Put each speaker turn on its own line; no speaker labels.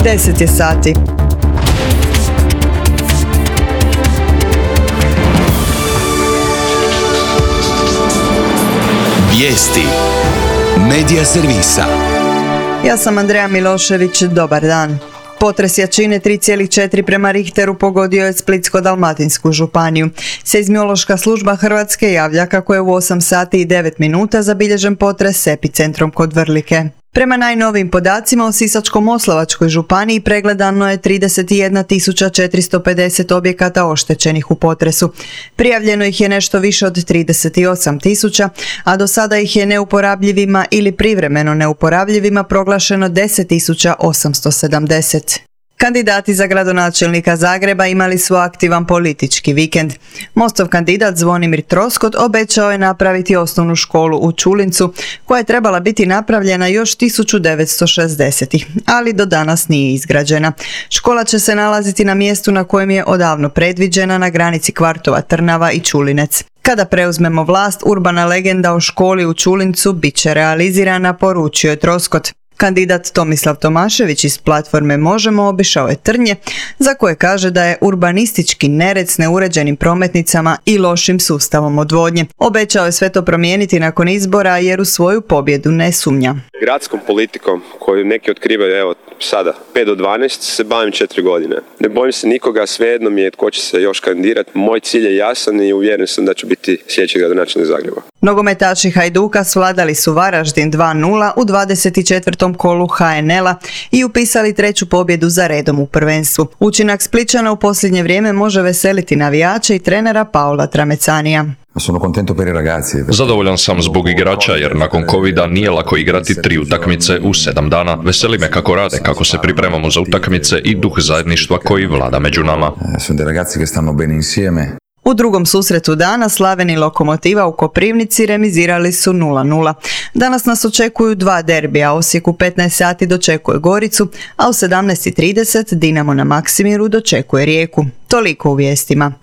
10 je sati.
Vijesti Medija servisa.
Ja sam Andreja Milošević, dobar dan. Potres jačine 3,4 prema Richteru pogodio je Splitsko-dalmatinsku županiju. Seizmološka služba Hrvatske javlja kako je u 8 sati i 9 minuta zabilježen potres s epicentrom kod Vrlike. Prema najnovijim podacima u Sisačko-moslavačkoj županiji pregledano je 31.450 objekata oštećenih u potresu. Prijavljeno ih je nešto više od 38.000, a do sada ih je neuporabljivima ili privremeno neuporabljivima proglašeno 10.870. Kandidati za gradonačelnika Zagreba imali su aktivan politički vikend. Mostov kandidat Zvonimir Troskot obećao je napraviti osnovnu školu u Čulincu, koja je trebala biti napravljena još 1960-ih, ali do danas nije izgrađena. Škola će se nalaziti na mjestu na kojem je odavno predviđena, na granici kvartova Trnava i Čulinec. Kada preuzmemo vlast, urbana legenda o školi u Čulincu bit će realizirana, poručio je Troskot. Kandidat Tomislav Tomašević iz platforme Možemo obišao je Trnje, za koje kaže da je urbanistički nered s neuređenim prometnicama i lošim sustavom odvodnje. Obećao je sve to promijeniti nakon izbora jer u svoju pobjedu ne sumnja.
Gradskom politikom koju neki otkrivaju evo sada 5 do 12 se bavim 4 godine. Ne bojim se nikoga, svejedno mi je tko će se još kandidirati. Moj cilj je jasan i uvjeren sam da ću biti sljedeći gradonačelnik Zagreba.
Nogometaši Hajduka svladali su Varaždin 2:0 u 24. kolu HNL-a i upisali 3. pobjedu za redom u prvenstvu. Učinak Splićana u posljednje vrijeme može veseliti navijače i trenera Paola Tramecanija.
Zadovoljan sam zbog igrača jer nakon covida nije lako igrati 3 utakmice u 7 dana. Veseli me kako rade, kako se pripremamo za utakmice i duh zajedništva koji vlada među nama.
U drugom susretu dana Slaven i Lokomotiva u Koprivnici remizirali su 0:0. Danas nas očekuju 2 derbija. Osijek u 15 sati dočekuje Goricu, a u 17:30 Dinamo na Maksimiru dočekuje Rijeku. Toliko u vijestima.